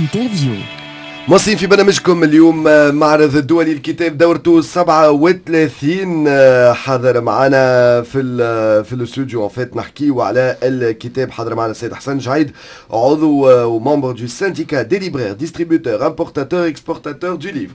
Interview. مواصلين في برنامجكم اليوم، معرض الدولي للكتاب دورته 37 حاضر معنا في الاستوديو، en fait نحكيو على الكتاب. حاضر معنا السيد حسن جعيد، عضو و membre du syndicat des libraires distributeurs importateurs exportateurs du livre.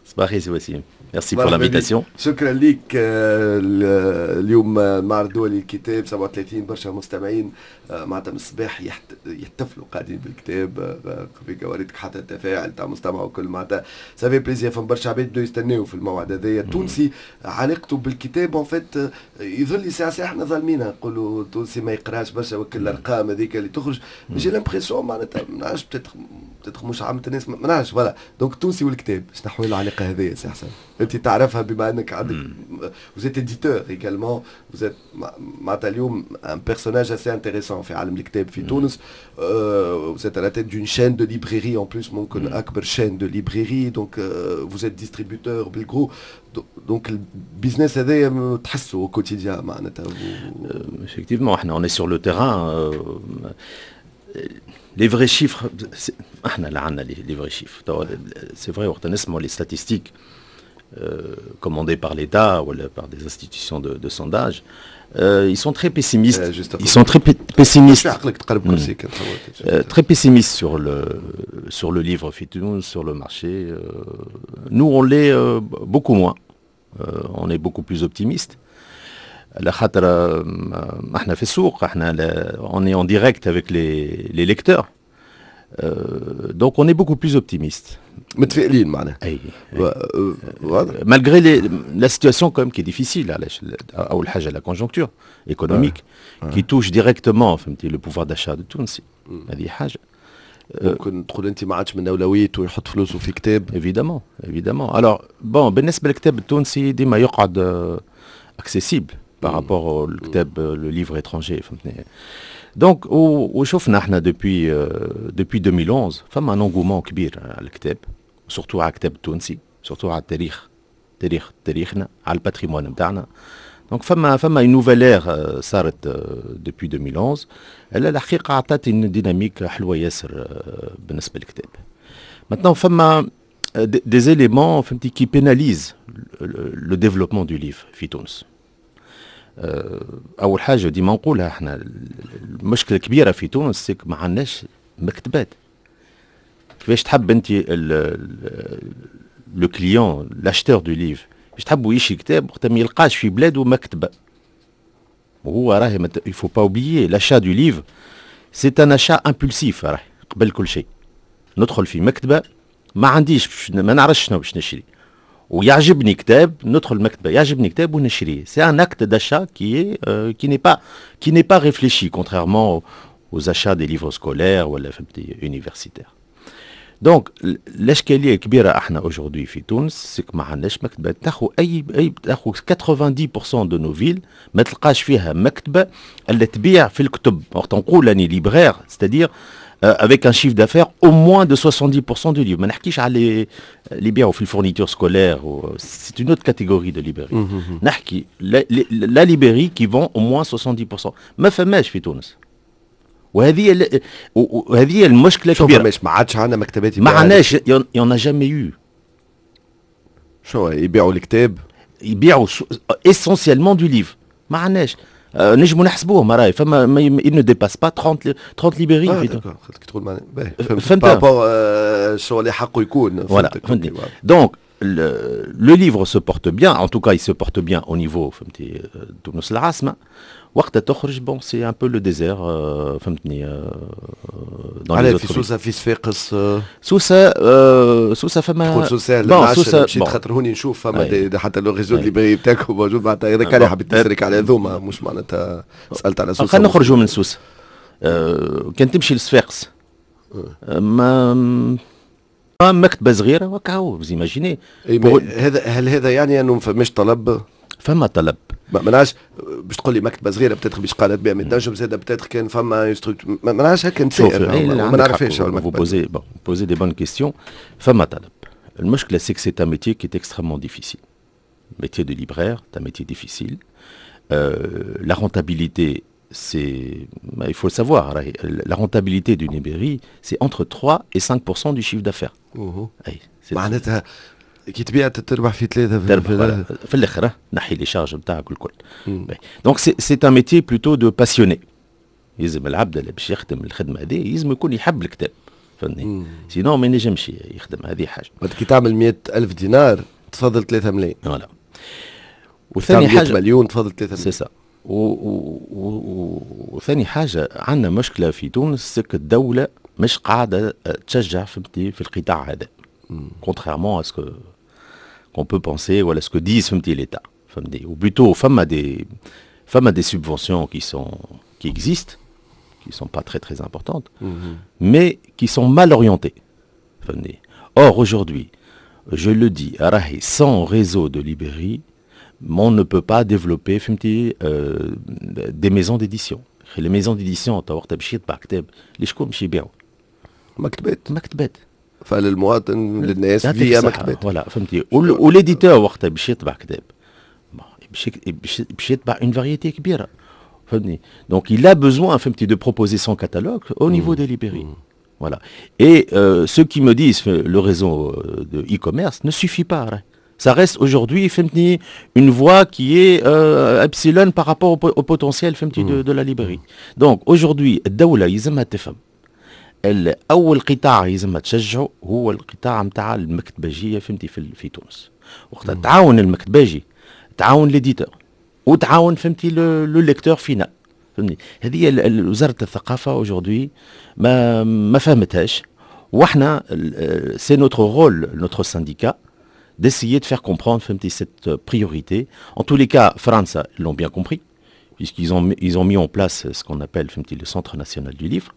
صباح الخير سي وسيم، merci pour l'invitation. شكرا لك. اليوم معرض الدولي للكتاب 37، برشا مستمعين معناتها من الصباح يحتفلوا قاعدين بالكتاب في كواريتك، حتى التفاعل تاع مستمع وكل معناتها ça fait plaisir. فما برشا عباد بداو يستناو في الموعد هذايا. التونسي علاقته بالكتاب en fait يظل لي ساعة ساعة احنا ظالمينها، نقولوا التونسي ما يقراش برشا وكل الارقام هذيك اللي تخرج. j'ai l'impression معناتها ما نعرفش، peut-être مش عامة الناس، ما نعرفش. voilà، donc التونسي والكتاب، شنو احوال العلاقة هذيا سي حسن؟ انت تعرفها بما انك عندك vous êtes éditeur également، vous êtes معناتها اليوم un personnage assez intéressant في عالم الكتاب في تونس، vous êtes à la tête d'une chaîne de librairie en plus، ممكن اكبر chaîne de librairie، donc vous êtes distributeur بال gros، donc ال business هذايا تحسه au quotidien معناتها. Effectivement، احنا on est sur le terrain. Les vrais chiffres، احنا اللي عندنا les vrais chiffres، c'est vrai، وقت نسمعوا les statistiques commandées par l'État ou par des institutions de sondage, ils sont très pessimistes. Ils sont très pessimistes. Très pessimistes sur le livre في تونس, sur le marché. Nous, on l'est beaucoup moins. On est beaucoup plus optimiste. على خاطر احنا في السوق، احنا on est en direct avec les lecteurs. Donc on est beaucoup plus optimiste. متفائلين معناها. اي، malgré la situation quand même qui est difficile، علاش؟ اول حاجة la conjoncture économique qui touche directement، فهمتي، le pouvoir d'achat de التونسي، هذه حاجه. ممكن تقول انت ما عادش من اولويته يحط فلوسه في كتاب. évidemment، évidemment. alors bon، بالنسبة للكتاب التونسي ديما يقعد accessible par rapport الكتاب، le livre étranger، فهمتني. donc وشفنا احنا depuis 2011 فما un engouement كبير على الكتاب، surtout على الكتاب التونسي، surtout على التاريخ، تاريخنا، على ال patrimoine نتاعنا. donc فما une nouvelle ère صارت depuis 2011، الحقيقة عطات une dynamique حلوة ياسر بالنسبة للكتاب. maintenant فما des éléments، فهمتي، qui pénalisent le développement du livre في تونس. اول حاجة ديما نقولها احنا، المشكلة الكبيرة في تونس c'est que ما عندناش مكتبات. كيفاش تحب انت le client، l'acheteur du livre، باش تحبوا يشري كتاب وقت ما يلقاش في بلاده مكتبه؟ وهو راهي il faut pas oublier، l'achat du livre c'est un achat impulsif. راهي قبل كل شيء ندخل في مكتبه، ما عنديش، ما نعرفش شنو باش نشري، ويعجبني كتاب، ندخل المكتبه، يعجبني كتاب ونشريه. c'est un acte d'achat qui n'est pas réfléchi، contrairement aux achats des livres scolaires ولا، فهمتي، universitaires. donc الاشكالية الكبيرة احنا aujourd'hui في تونس c'est que ما عندناش مكتبه. تاخذ اي تاخذ 90% de nos villes ما تلقاش فيها مكتبه اللي تبيع في الكتب. وقت نقول اني libraire، c'est-à-dire avec un chiffre d'affaires au moins de 70% du livre. ما نحكيش على اللي يبيعوا في ال fournitures scolaires، c'est une autre catégorie de librairie. نحكي la librairie qui vend au moins 70%، ما فماش في تونس، وهذه المشكلة الكبيره. فماش؟ ما عادش عندنا مكتبات؟ ما عندناش، y en a jamais eu. شو يبيعوا الكتاب؟ يبيعوا essentiellement du livre، ما عندناش. نجموا نحسبوهم، راهي فما il ne dépasse pas 30 librairies. في تقول فهمت par rapport شو اللي حقه يكون. voilà، فهمتني. donc le livre se porte bien، en tout cas il se porte bien au niveau، فهمتي، تونس العاصمة. وقت تخرج، bon، c'est un peu le désert، فهمتني. dans في سوسه، في صفاقس؟ سوسه، سوسة فما. تقول سوسه، bon سوسه مشيت خاطر هوني نشوف فما des حتى le réseau librairies بتاعكم موجود، معناتها هذاك اللي حبيت نسالك على هذوما، مش معناتها سالت على سوسه. خلينا نخرجوا من سوسه. كان تمشي لصفاقس ما مكتبه صغيرة وكاو، vous imaginez. هذا هل هذا يعني انه ما فماش طلب؟ فما طلب. ما نعرفش، باش تقول لي مكتبه صغيرة peut-être باش قالت بها، تنجم زاد peut-être كان فما ما نعرفش، هكا نسائل، ما نعرفش. vous posez bon, posez des bonnes questions. فما طلب. المشكلة c'est que c'est un métier qui est extrêmement difficile. métier de libraire، c'est un métier difficile. La rentabilité c'est il faut le savoir, la rentabilité d'une librairie, c'est entre 3 et 5% du chiffre d'affaires. معناتها كي تبيع تربح في ثلاثة. في في الاخر نحي les charges نتاعك الكل. donc c'est un métier plutôt de passionné. يلزم العبد اللي باش يخدم الخدمة هذه يلزم يكون يحب الكتاب، فهمتني؟ sinon ما ينجمش يخدم. هذه حاجه. كي تعمل 100 ألف دينار تفضل 3 ملايين. voilà. وثاني حاجه، مليون تفضل 3 ملايين. c'est ça. وثاني حاجه، عندنا مشكلة في تونس، الدولة مش قاعدة تشجع، فهمتي، في القطاع هذا، contrairement à ce que qu'on peut penser ولا ce que disent، فهمتي، l'État، فهمتي، ou plutôt فما des subventions qui existent، qui sont pas très très importantes، mais qui sont mal orientées، فهمتني. Or aujourd'hui، je le dis، راهي sans réseau de librairies، on ne peut pas développer، فهمتي، des maisons d'édition. les maisons d'édition تو وقتها باش يطبع كتاب، لشكون باش يبيعوا؟ مكتبات. مكتبات. فللمواطن، للناس via مكتبات. voilà، فهمتي. و l'éditeur وقتها باش يطبع كتاب باش يطبع une variété كبيره، فهمتني؟ donc il a besoin، فهمتي، de proposer son catalogue au niveau des librairies. Voilà. Et ceux qui me disent le réseau de e-commerce ne suffit pas. Ça reste aujourd'hui، فهمتني، une voie qui est epsilon par rapport au potentiel، فهمتني، de la librairie. Donc aujourd'hui الدولة يلزمها تفهم اول قطاع يلزمها تشجعه هو القطاع نتاع المكتبجيه، فهمتي، في تونس. وقتها تعاون المكتباجي، تعاون l'éditeur، وتعاون، فهمتي، le lecteur final، فهمتني. هذه وزارة الثقافة aujourd'hui ما فهمتهاش، واحنا c'est notre rôle، notre syndicat، d'essayer de faire comprendre، فهمتي، cette priorité. En tous les cas, فرنسا l'ont bien compris, puisqu'ils ont mis en place ce qu'on appelle، فهمتي، le Centre national du livre,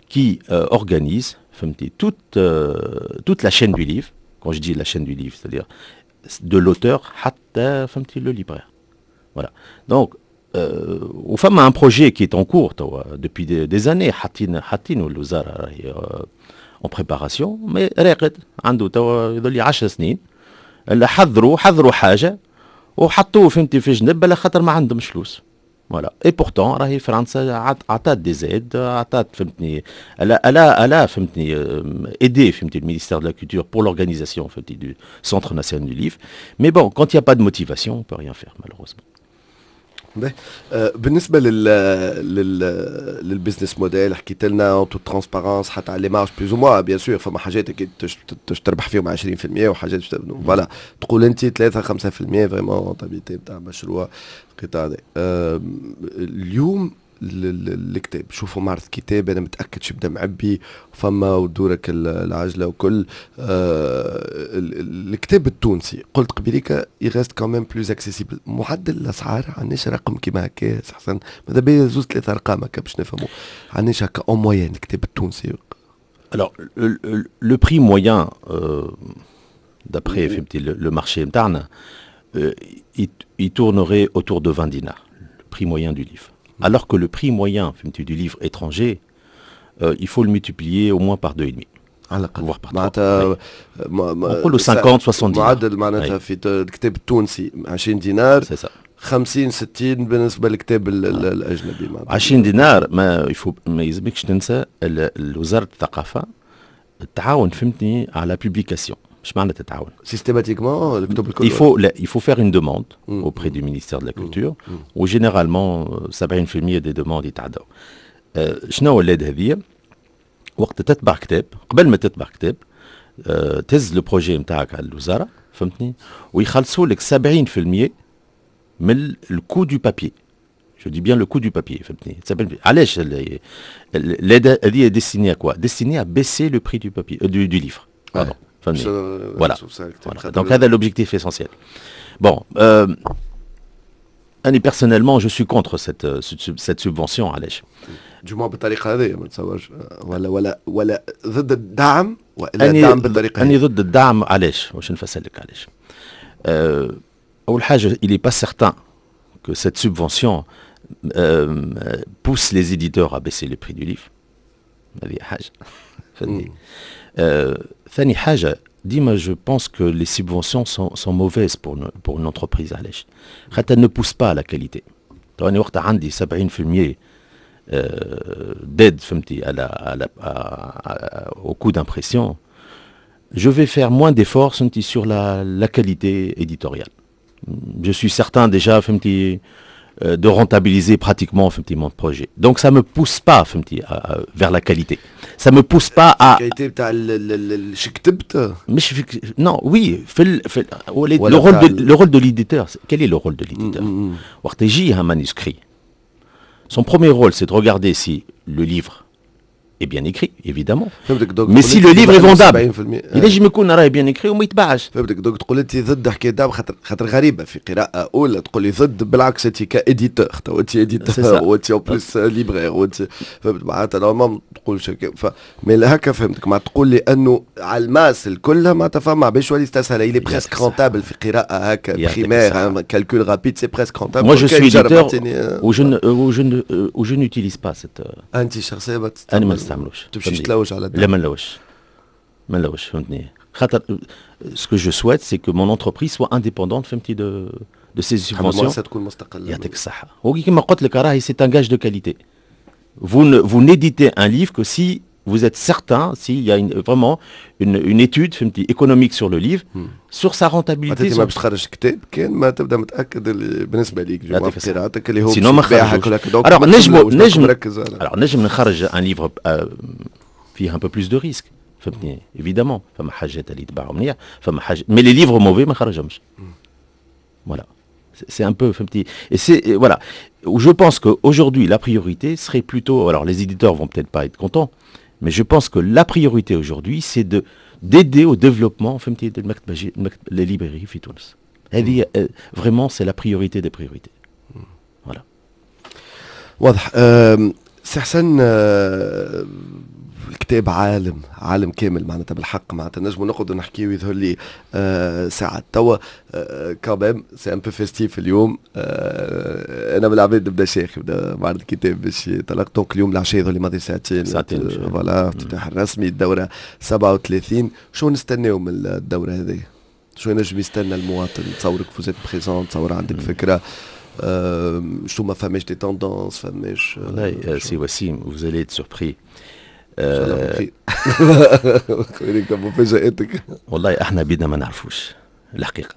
qui organise، فهمتي، toute la chaîne du livre. Quand je dis la chaîne du livre, c'est-à-dire de l'auteur حتى، فهمتي، le libraire. Voilà. Donc, وفما un projet qui est en cours depuis des années، حاطين الوزارة راهي en préparation، mais راقد عنده توا يظل 10 سنين. حضروا حاجة وحطوه، فهمتي، في جنب على خاطر ما عندهمش فلوس. voilà. et pourtant راهي فرنسا عطات des aides، عطات، فهمتني، elle a، فهمتني، aidé، فهمتي، le ministère de la culture pour l'organisation، فهمتي، du centre national du livre. mais bon، quand il n'y a pas de motivation، on peut rien faire malheureusement. بالنسبة لل business model، حكيت لنا en toute transparence حتى على les marges plus ou moins. bien sûr فما حاجات اكيد تربح فيهم 20% وحاجات، voilà، تقول انت 3 5% vraiment rentabilité نتاع مشروع القطاع هذا. اليوم الكتاب، شوفوا معرض كتاب، انا متاكد شو بدا معبي فما ودورك العجلة وكل. الكتاب التونسي، قلت قبيليك، il reste quand même plus accessible. معدل الاسعار، عندناش رقم كيما هكا حسن؟ ماذا بيا زوز ثلاثة ارقام هكا باش نفهموا. عندناش هكا en moyenne الكتاب التونسي؟ Alors, le prix moyen, d'après le marché نتاعنا, il tournerait autour de 20 dinars, le prix moyen du livre. Alors que le prix moyen du livre étranger, il faut le multiplier au moins par 2,5. على الاقل. voire par معناتها نقولوا 50 60 دينار. معدل معناتها في الكتاب التونسي 20 دينار. c'est ça. 50 60 بالنسبة للكتاب الاجنبي. 20 دينار، ما il faut ما يلزمكش تنسى وزارة الثقافة تعاون، فهمتني، على publication. اش معنى تتعاون؟ systématiquement الكتب الكل؟ Il faut لا، il faut faire une demande auprès du ministère de la culture، و généralement 70% des demandes يتعداو. شنو هو l'aide هذه؟ وقت تتبع كتاب، قبل ما تتبع كتاب، تهز le projet نتاعك على الوزاره، فهمتني، ويخلصوا لك 70% من ال coût du papier. Je dis bien le coût du papier. علاش l'aide هذه؟ destinée à quoi؟ destinée à baisser le prix du papier، du livre. Pardon. Voilà. Voilà. Donc هذا l'objectif essentiel. Bon, أنا personnellement je suis contre cette subvention. علاش؟ du moins بالطريقة هذه ما نتصورش، ولا ضد الدعم ولا الدعم بالطريقة؟ أني ضد الدعم. علاش؟ واش نفسر لك علاش. أول حاجة، il n'est pas certain que cette subvention pousse les éditeurs à baisser le prix du livre. هذه حاجة. فهمتني؟ ثاني حاجة، ديما je pense que les subventions sont mauvaises pour une entreprise. علاش؟ خاطر ne pousse pas à la qualité. تو انا وقتها عندي 70% d'aide فهمتي على au coût d'impression, je vais faire moins d'efforts فهمتي sur la qualité éditoriale. Je suis certain déjà فهمتي de rentabiliser pratiquement فهمتي mon projet. Donc ça me pousse pas فهمتي vers la qualité. Ça me pousse pas à qualité بتاع شو كتبت؟ مش في non, oui, في le rôle de l'éditeur, quel est le rôle de l'éditeur؟ وقت يجي un manuscrit, son premier rôle, c'est de regarder si le livre est bien écrit, évidemment. Mais si le livre est vendable, ينجم يكون راهي bien écrit وما يتباعش. فهمتك, donc تقول انت ضد حكاية دعم, خاطر غريبة في قراءة اولى تقول لي ضد, بالعكس انت ك éditeur, تو انت éditeur وانت en plus libraire وانت فهمت معناتها normalement تقول ف mais هكا فهمتك معناتها تقول لي انه على ال masse الكل معناتها فما باش يولي يستسهل, il est presque rentable في قراءة هكا primaire, calcul rapide, c'est presque rentable. Moi, je suis éditeur où je n'utilise pas cette انت شخصيا انا ما نستعملوش. تمشيش تلوج على لا, ما نلوش ما نلوش فهمتني, خاطر ce que je souhaite, c'est que mon entreprise soit indépendante فهمتي de ces subventions. تكون مستقلة. يعطيك الصحة. وكما قلت لك راهي c'est un gage de qualité. Vous ne vous n'éditez un livre que si vous êtes certain, s'il y a vraiment une étude فهمتي économique sur le livre, sur sa rentabilité. انت ما باش تخرج كتاب كان ما تبدا متاكد اللي بالنسبة ليك قراءتك اللي هو sinon ما خرجوش. Alors نجم alors نجم نخرج un livre فيه un peu plus de risques فهمتني, évidemment فما حاجات اللي يتباعوا مليح, فما حاجات, mais les livres mauvais ما خرجهمش. Voilà, c'est un peu فهمتي et c'est voilà où je pense qu'aujourd'hui la priorité serait plutôt, alors les éditeurs vont peut-être pas être contents, mais je pense que la priorité aujourd'hui, c'est de d'aider au développement فهمتي les librairies في تونس. هذه vraiment c'est la priorité des priorités. Voilà. واضح سي حسن, الكتاب عالم, عالم كامل معناتها, بالحق معناتها نجموا نقعدوا نحكيو يظهر لي ساعات توا. Quand même, c'est un peu festif اليوم. انا من العباد نبدا شيخ نبدا معرض الكتاب باش يطلق, donc اليوم العشية يظهر لي ماضي ساعتين. ساعتين. Voilà, افتتاح الرسمي الدورة 37. شو نستناو من الدورة هذه؟ شو ينجم يستنى المواطن؟ تصورك vous êtes présent, تصور عندك فكرة شو ما فماش des tendances فماش؟ والله سي وسيم, vous allez être surpris. مفاجاتك. والله احنا بيدنا ما نعرفوش الحقيقه.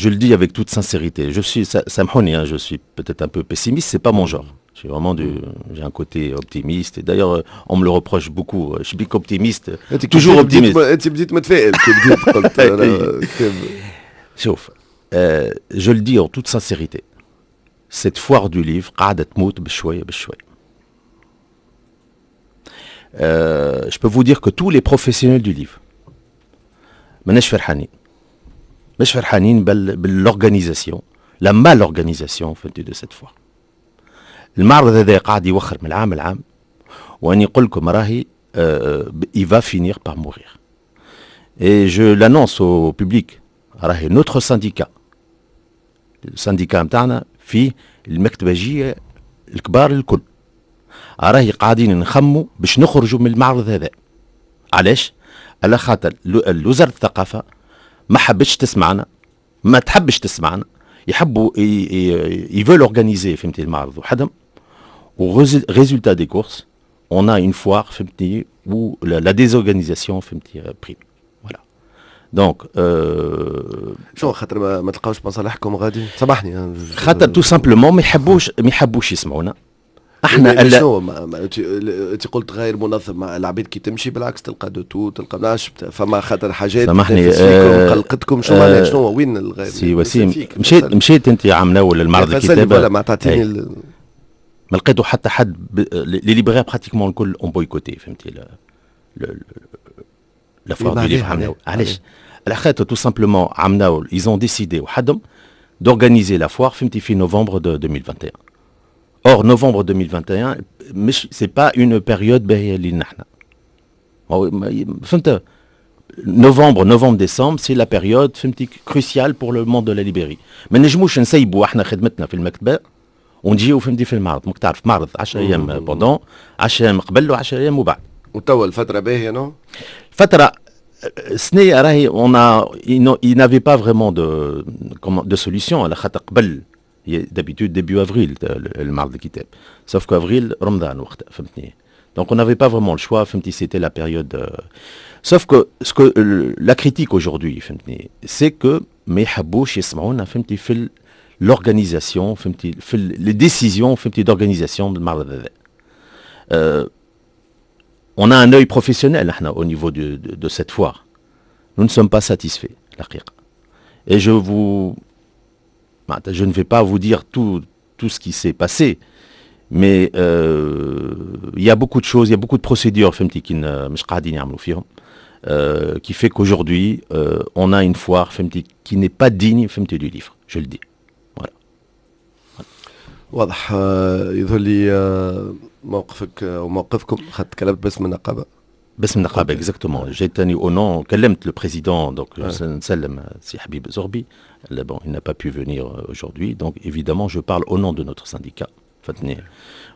Je le dis avec toute sincérité. Je suis, سامحوني, hein, je suis peut-être un peu pessimiste, c'est pas mon genre. J'ai vraiment j'ai un côté optimiste. Et d'ailleurs, on me le reproche beaucoup. Je suis optimiste, toujours optimiste. انت بديت متفائل كي بديت قلت. شوف, je le dis en toute sincérité. Cette foire du livre قاعدة تموت بشوية بشوية. Je peux vous dire que tous les professionnels du livre ماناش فرحانين, مش فرحانين بال organisation, la mal organisation فهمتي de cette foire. المعرض هذا قاعد يوخر من العام العام, واني نقول لكم راهي il va finir par mourir. Et je l'annonce au public, راهي notre syndicat, ال syndicat نتاعنا فيه المكتبجيه الكبار الكل, راهي قاعدين نخموا باش نخرجوا من المعرض هذا. علاش؟ على خاطر وزارة الثقافة ما حبتش تسمعنا, ما تحبش تسمعنا, يحبوا ils veulent organiser فهمتي المعرض وحدهم, و résultat des courses, on a une foire فهمتني où la désorganisation فهمتي prime. Voilà, donc شو خاطر ما تلقاوش مصالحكم غادي؟ سامحني. خاطر tout simplement ما يحبوش يسمعونا احنا. شنو انت قلت غير منظم, العباد كي تمشي بالعكس تلقى de tout, تلقى ناش فما خاطر حاجات سامحني قلقتكم, شو معناها؟ شنو وين الغير؟ سي وسيم, مشيت انت عام الاول للمعرض الكتابه؟ ولا ما تعطيني. ما لقيتوا حتى حد, les libraires pratiquement الكل ont boycotté فهمتي la foire du livre عام. علاش؟ على خاطر tout simplement عام الاول ils ont décidé وحدهم d'organiser la foire فهمتي في novembre de 2021. Or, novembre 2021, c'est pas une période باهية لينا احنا. فهمت؟ Novembre, novembre, décembre, c'est la période فهمتي cruciale pour le monde de la librairie. ما نجموش نسيبوا احنا خدمتنا في المكتبة ونجيو فهمتي في المعرض، ماك تعرف معرض 10 ايام pendant 10 ايام قبل و10 ايام وبعد. وتوا الفترة باهية, non؟ فترة السنة راهي on a il n'avait pas vraiment de solution على خاطر قبل d'habitude début avril المعرض الكتاب، sauf que avril رمضان وقتها، فهمتني؟ Donc on n'avait pas vraiment le choix، فهمتي؟ C'était la période. Sauf que ce que la critique aujourd'hui، فهمتني، c'est que ما يحبوش يسمعونا، فهمتي، في l'organisation، فهمتي، في les décisions، فهمتي، d'organisation بالمعرض هذا. On a un œil professionnel احنا au niveau de cette foire. Nous ne sommes pas satisfaits الحقيقة. Et je ne vais pas vous dire tout ce qui s'est passé, mais il y a beaucoup de choses, il y a beaucoup de procédures، فهمتي، qui مش قاعدين يعملوا فيهم. Qui fait qu'aujourd'hui, on a une foire، فهمتي، qui n'est pas digne، فهمتي، du livre, je le dis. Voilà. واضح، يظهر لي موقفك وموقفكم، خاطر تكلمت باسم النقابه. باسم النقابه، exactement. جيت au nom، كلمت le président، donc نسلم سي حبيب زغبي. Bon, il n'a pas pu venir aujourd'hui, donc évidemment je parle au nom de notre syndicat.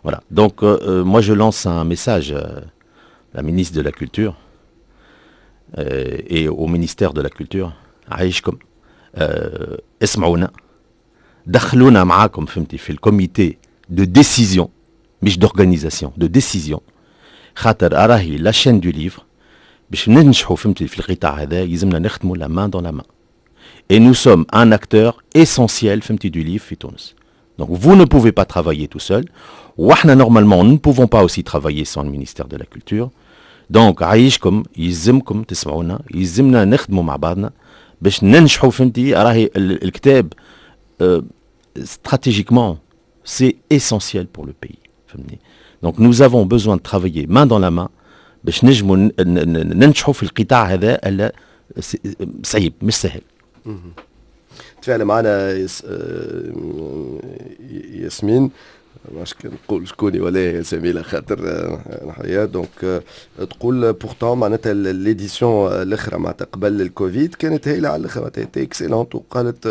Voilà. Donc moi je lance un message à la ministre de la Culture et au ministère de la Culture: عايشكم اسمعونا، دخلونا معاكم، فهمتي، في ال comité de décision، مش d'organisation، de décision، خاطر راهي la chaîne du livre باش ننجحوا، فهمتي، في القطاع هذا يلزمنا نخدموا la main dans la main et nous sommes un acteur essentiel، فهمتي، du livre في تونس. Donc vous ne pouvez pas travailler tout seul، واحنا normalement nous ne pouvons pas aussi travailler sans le ministère de la Culture. Donc عايشكم يلزمكم تسمعونا، يلزمنا نخدموا مع بعضنا باش ننجحوا، فهمتي؟ راهي الكتاب stratégiquement c'est essentiel pour le pays، فهمتني؟ Donc nous avons besoin de travailler main dans la main باش نجموا ننجحوا في القطاع هذا، صعيب مش سهل. تفاعل معنا ياسمين، ماش نقول شكوني ولا يا زميله خاطر الحقيقه، donc تقول pourtant معناتها l'édition الاخرى معناتها قبل الكوفيد كانت هايلة على الاخر، معناتها excellente، وقالت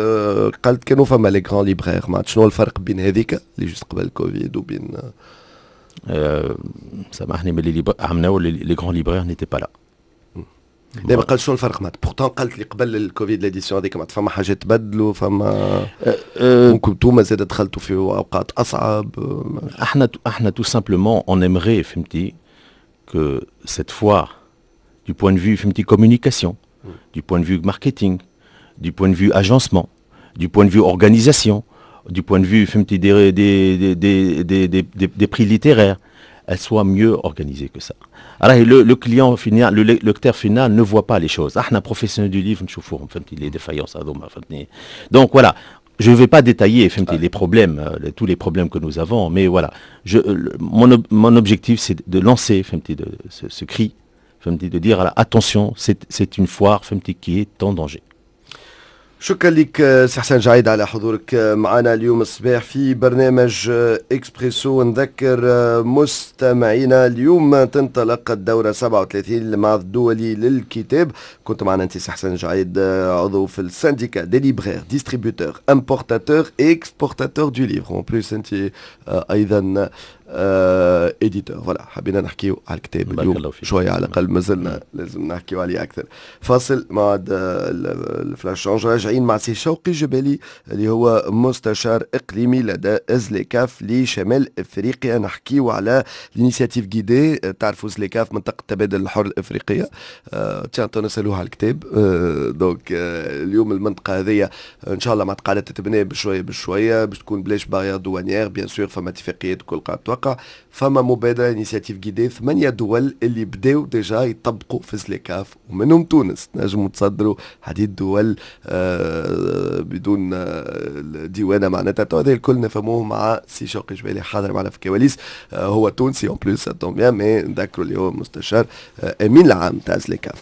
قالت كانوا فما les grands libraires. معناتها شنو الفرق بين هذيك اللي juste قبل الكوفيد وبين سامحني، mais اللي عملناو les grands libraires n'étaient pas là. دابا قال شنو الفرق معناتها؟ Pourtant قالت لي قبل الكوفيد l'édition هذيك معناتها فما حاجات تبدلوا، فما ممكن انتوما زاد دخلتوا في اوقات اصعب. احنا tout simplement on aimerait، فهمتي، que cette foire du point de vue، فهمتي، communication, du point de vue marketing, du point de vue agencement, du point de vue organisation, du point de vue، فهمتي، des prix littéraires, elle soit mieux organisée que ça. Alors le client final, le lecteur final ne voit pas les choses. احنا professionnels du livre نشوفوهم، فهمتي، les défaillances هذوما، فهمتني؟ Donc voilà, je ne vais pas détailler، فهمتي، les problèmes, tous les problèmes que nous avons, mais voilà, mon objectif c'est de lancer، فهمتي، ce cri، فهمتي، de dire attention, c'est une foire، فهمتي، qui est en danger. شكرا لك سي حسن جعيد على حضورك معنا اليوم الصباح في برنامج اكسبريسو. نذكر مستمعينا، اليوم تنطلق الدورة 37 للمعرض الدولي للكتاب. كنت معنا انت سي حسن جعيد، عضو في ال syndicat des libraires distributeurs importateurs et exportateurs du livre، en plus انت ايضا éditeur. Voilà، حبينا نحكيو على الكتاب اليوم شويه، على الاقل مازلنا لازم نحكيو عليه اكثر. فاصل مع ال flash change، راجعين مع سي شوقي جبالي اللي هو مستشار اقليمي لدى زليكاف لشمال افريقيا، نحكيو على l'initiative guidée. تعرفوا زليكاف منطقة التبادل الحر الافريقيه، tiens نسالوها على الكتاب. Donc اليوم المنطقة هذه ان شاء الله مع قاعدة تتبنى بشوية بشوية باش تكون بلاش barrières douanières، bien sûr فما اتفاقيات كل قاعدة توقع، فما مبادرة initiative guidée، ثمانية دول اللي بداو déjà يطبقوا في زليكاف ومنهم تونس، نجموا تصدروا عديد دول بدون ديوانه معناتها. هذا الكل نفهموه مع سي شوقي جبالي حاضر معنا في الكواليس، هو تونسي en plus، ça tombe bien، mais نذكروا اللي هو مستشار امين العام تاع زليكاف.